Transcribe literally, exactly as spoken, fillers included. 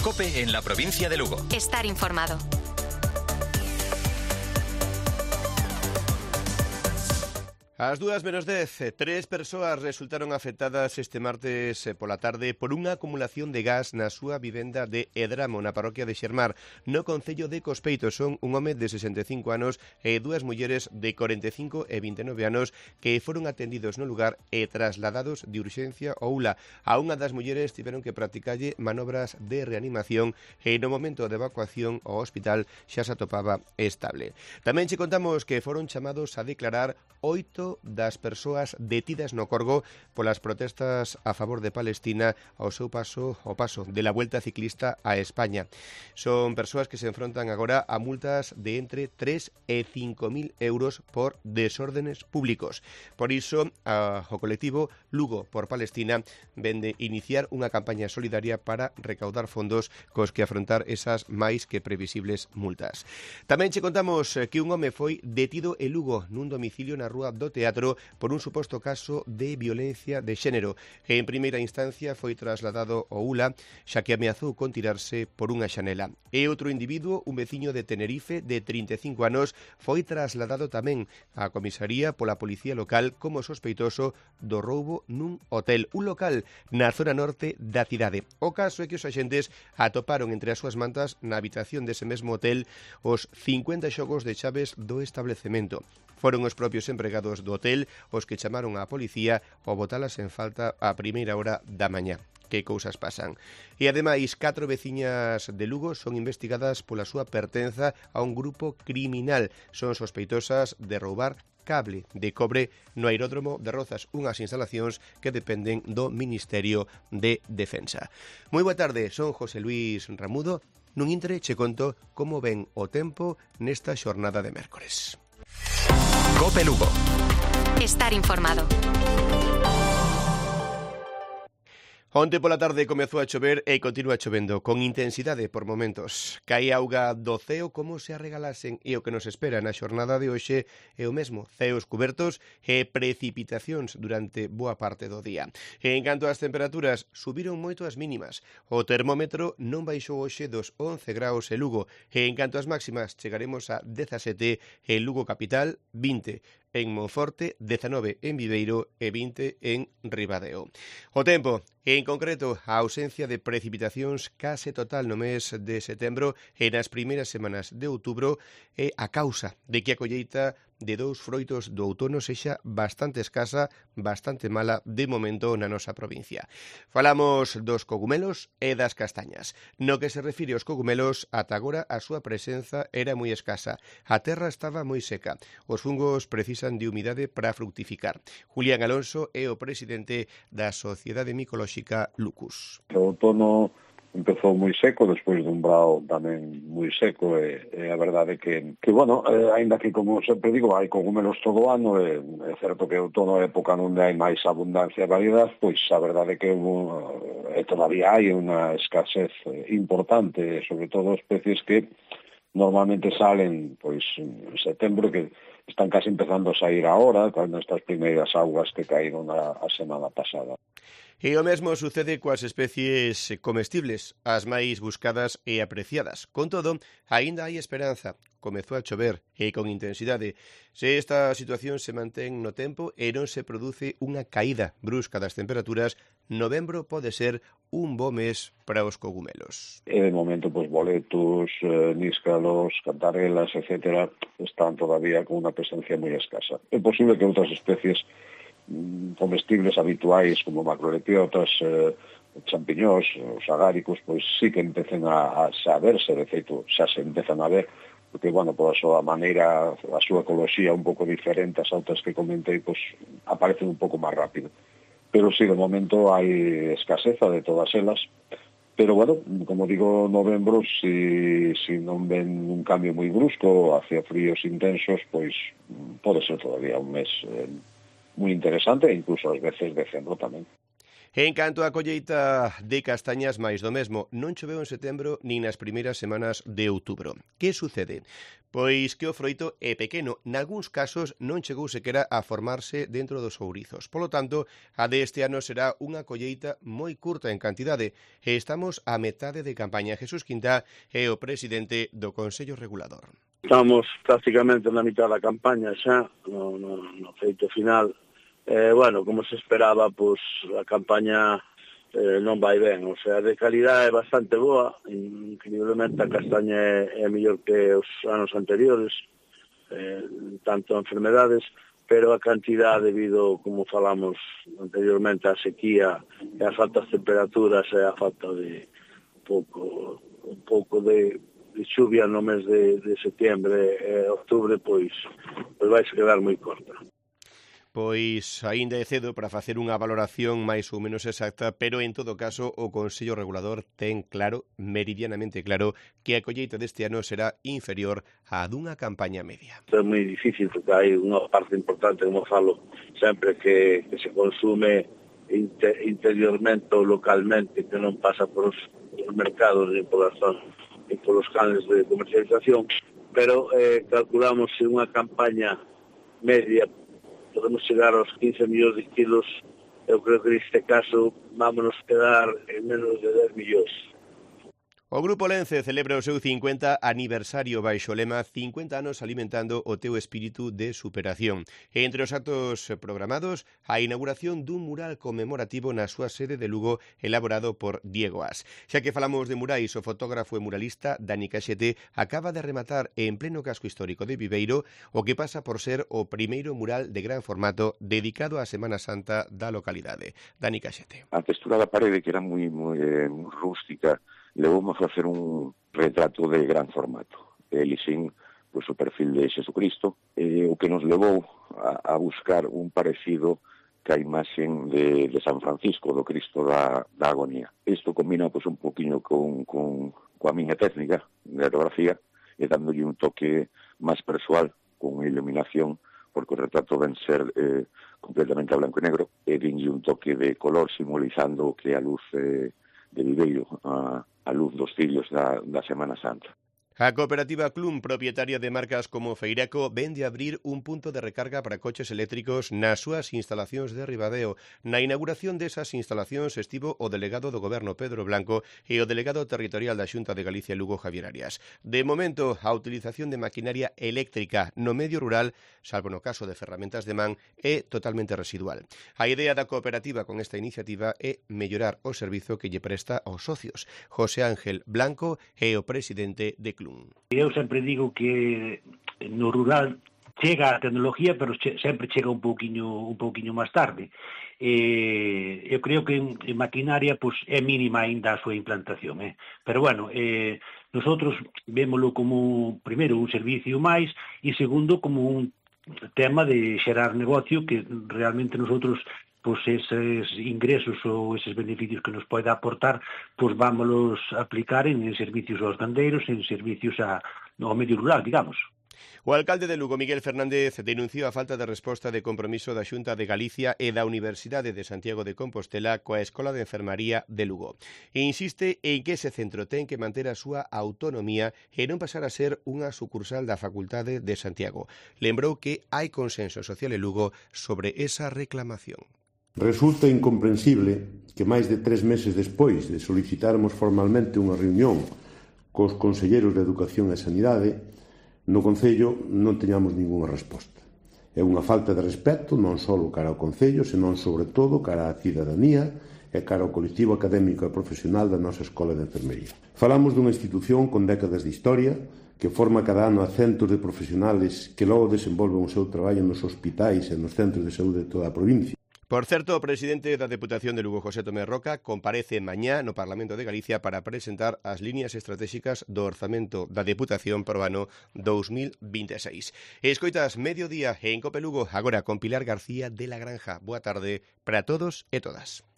COPE en la provincia de Lugo. Estar informado. Ás dúas menos dez, tres persoas resultaron afectadas este martes pola tarde por unha acumulación de gas na súa vivenda de Edramo, na parroquia de Xermar, no concello de Cospeito. Son un home de sesenta e cinco anos e dúas mulleres de corenta e cinco e vinte e nove anos que foron atendidos no lugar e trasladados de urxencia ao U L A. A unha das mulleres tiveron que practicarlle manobras de reanimación e no momento de evacuación ao hospital xa se atopaba estable. Tamén che contamos que foron chamados a declarar oito das persoas detidas no Corgo polas protestas a favor de Palestina ao seu paso ao paso de la Vuelta Ciclista a España. Son persoas que se enfrontan agora a multas de entre tres e cinco mil euros por desórdenes públicos. Por iso, a, o colectivo Lugo por Palestina vende iniciar unha campaña solidaria para recaudar fondos cos que afrontar esas máis que previsibles multas. Tamén che contamos que un home foi detido en Lugo nun domicilio na Rúa do Teatro por un suposto caso de violencia de xénero. En primeira instancia foi trasladado ao U L A, xa que ameazou con tirarse por unha xanela. E outro individuo, un veciño de Tenerife de trinta e cinco anos, foi trasladado tamén á comisaría pola policía local como sospeitoso do roubo nun hotel, un local na zona norte da cidade. O caso é que os axentes atoparon entre as súas mantas na habitación dese mesmo hotel os cincuenta xogos de chaves do establecemento. Foron os propios empregados do hotel os que chamaron á policía ao botalas en falta a primeira hora da mañá. Que cousas pasan. E ademais, catro veciñas de Lugo son investigadas pola súa pertenza a un grupo criminal. Son sospeitosas de roubar cable de cobre no aeródromo de Rozas, unhas instalacións que dependen do Ministerio de Defensa. Moi boa tarde, son José Luis Ramudo. Nun intre che conto como ven o tempo nesta xornada de mércores. COPE Lugo. Estar informado. Onte pola tarde comezou a chover e continúa chovendo con intensidade por momentos. Cae auga do ceo como se arregalasen e o que nos espera na xornada de hoxe é o mesmo, ceos cubertos e precipitacións durante boa parte do día. E en canto ás temperaturas, subiron moito as mínimas. O termómetro non baixou hoxe dos once graus en Lugo e en canto ás máximas chegaremos a dezasete en Lugo capital, vinte en Monforte, dezanove en Viveiro e vinte en Ribadeo. O tempo, en concreto, a ausencia de precipitacións case total no mes de setembro e nas primeiras semanas de outubro é a causa de que a colleita de dous froitos do outono sexa bastante escasa, bastante mala de momento na nosa provincia. Falamos dos cogumelos e das castañas. No que se refire aos cogumelos, ata agora a súa presenza era moi escasa. A terra estaba moi seca. Os fungos precisan de humidade para fructificar. Julián Alonso é o presidente da Sociedade Micolóxica Lucus. O outono empezou moi seco, despois dun brao tamén moi seco, e, e a verdade que, que bueno, eh, ainda que, como sempre digo, hai cogumelos todo o ano, e é certo que o outono é época onde hai máis abundancia e variedade, pois a verdade que e todavía hai unha escasez importante, sobre todo especies que normalmente salen pois en setembro, que están casi empezando a sair agora, con estas primeiras augas que caíron a, a semana pasada. E o mesmo sucede coas especies comestibles, as máis buscadas e apreciadas. Con todo, aínda hai esperanza. Comezou a chover e con intensidade. Se esta situación se mantén no tempo e non se produce unha caída brusca das temperaturas, novembro pode ser un bo mes para os cogumelos. E de momento, pois, boletos, eh, níscalos, cantarelas, etcétera, están todavía con unha presencia moi escasa. É posible que outras especies comestibles habituais como macrolepiotas, eh, champiñóns, os agáricos, pois sí que empecen a, a saberse, de feito xa se empezan a ver, porque, bueno, por a súa maneira, a súa ecoloxía un pouco diferente ás outras que comentei, pois aparecen un pouco máis rápido. Pero sí, de momento hai escaseza de todas elas, pero, bueno, como digo, novembro, si, si non ven un cambio moi brusco hacia fríos intensos, pois pode ser todavía un mes eh, moi interesante, e incluso ás veces decembro tamén. En canto á colleita de castañas, máis do mesmo, non choveu en setembro nin nas primeiras semanas de outubro. Que sucede? Pois que o froito é pequeno, nalgúns casos non chegou sequera a formarse dentro dos ourizos. Polo tanto, a deste ano será unha colleita moi curta en cantidade e estamos a metade de campaña. Jesús Quintá é o presidente do Consello Regulador. Estamos prácticamente na mitad da campaña xa, no, no, no feito final. Eh, bueno, como se esperaba, pois a campaña eh, non vai ben, o sea, de calidad é bastante boa, increíblemente a castaña é, é mellor que os anos anteriores, eh, tanto enfermedades, pero a cantidad debido, como falamos anteriormente, a sequía e as altas temperaturas e a falta de un pouco, un pouco de, de xuvia no mes de, de setembro e outubro, pois, pois vai se quedar moi corta. Pois aínda é cedo para facer unha valoración máis ou menos exacta, pero en todo caso o Consello Regulador ten claro, meridianamente claro, que a colleita deste ano será inferior á dunha campaña media. É moi difícil porque hai unha parte importante, como falo, sempre que, que se consume inter, interiormente ou localmente, que non pasa por os, os mercados e polas zonas e polos canales de comercialización, pero eh, calculamos que unha campaña media podemos chegar aos quince millóns de kilos. Eu creo que neste caso vámonos quedar en menos de dez millóns. O Grupo Lence celebra o seu cincuenta aniversario baixo o lema cincuenta anos alimentando o teu espírito de superación. Entre os actos programados, a inauguración dun mural conmemorativo na súa sede de Lugo elaborado por Diego As. Xa que falamos de murais, o fotógrafo e muralista Dani Caxete acaba de rematar en pleno casco histórico de Viveiro o que pasa por ser o primeiro mural de gran formato dedicado á Semana Santa da localidade. Dani Caxete. A textura da parede, que era moi, moi, moi rústica, levamos a facer un retrato de gran formato. Elixín, pois, o perfil de Xesucristo, e o que nos levou a, a buscar un parecido ca imaxen de, de San Francisco, do Cristo da, da agonía. Isto combina, pois, un poquinho con, con, coa miña técnica de aerografía e dándolle un toque máis persoal, con iluminación, porque o retrato ven ser eh, completamente a blanco e negro, e dinlle un toque de color simbolizando que a luz eh, de Viveiro, a a luz dos fillos da, da Semana Santa. A cooperativa Clum, propietaria de marcas como Feiraco, vende abrir un punto de recarga para coches eléctricos nas súas instalacións de Ribadeo. Na inauguración desas instalacións estivo o delegado do Goberno Pedro Blanco e o delegado territorial da Xunta de Galicia Lugo Javier Arias. De momento, a utilización de maquinaria eléctrica no medio rural, salvo no caso de ferramentas de man, é totalmente residual. A idea da cooperativa con esta iniciativa é mellorar o servizo que lle presta aos socios. José Ángel Blanco é o presidente de Clum. Eu sempre digo que no rural chega a tecnología, pero che, sempre chega un pouquiño un pouquiño máis tarde. Eh, eu creo que en, en maquinaria pues, é mínima ainda a súa implantación. Eh. Pero bueno, eh, nosotros vémolo como, primeiro, un servicio máis e segundo, como un tema de xerar negocio que realmente nosotros pois eses ingresos ou eses beneficios que nos pode aportar, pois vámonos aplicar en, en servicios aos gandeiros, en servicios a, ao medio rural, digamos. O alcalde de Lugo, Miguel Fernández, denunciou a falta de resposta de compromiso da Xunta de Galicia e da Universidade de Santiago de Compostela coa Escola de Enfermaría de Lugo. E insiste en que ese centro ten que manter a súa autonomía e non pasar a ser unha sucursal da Facultade de Santiago. Lembrou que hai consenso social en Lugo sobre esa reclamación. Resulta incomprensible que máis de tres meses despois de solicitarmos formalmente unha reunión cos conselleiros de Educación e Sanidade, no Concello non teñamos ningunha resposta. É unha falta de respeto non só cara ao Concello, senón sobre todo cara á cidadanía e cara ao colectivo académico e profesional da nosa Escola de Enfermería. Falamos dunha institución con décadas de historia, que forma cada ano a centos de profesionales que logo desenvolven o seu traballo nos hospitais e nos centros de saúde de toda a provincia. Por certo, o presidente da Deputación de Lugo, José Tomé Roca, comparece mañá no Parlamento de Galicia para presentar as líneas estratégicas do orzamento da Deputación para o ano dous mil vinte e seis. Escoitas Mediodía en Cope Lugo, agora con Pilar García de la Granja. Boa tarde para todos e todas.